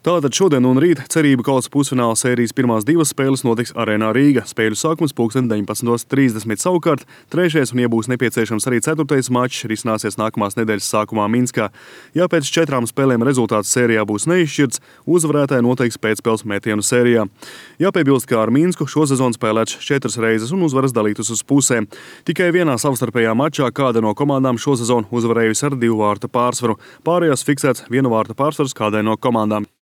Tātad šodien un rīt cerību kausa pusfināla sērijas pirmās divas spēles notiks Arēnā Rīga. Spēļu sākums pulksten 19:30. Savukārt trešais un, ja būs nepieciešams arī ceturtais mačs, risināsies nākamās nedēļas sākumā Minskā. Ja pēc 4 spēlēm rezultāts sērijā būs neizšķirts, uzvarētāji noteiks pēcspēles metienu sērijā. Jāpiebilst, ka ar Minsku šo sezonu spēlēts 4 reizes un uzvaras dalītas uz pusēm. Tikai vienā savstarpējā mačā kāda no komandām šo sezonu uzvarējusi ar 2 vārtu pārsvaru. Pārējās fiksēts 1 vārta pārsvars kādai no komandām.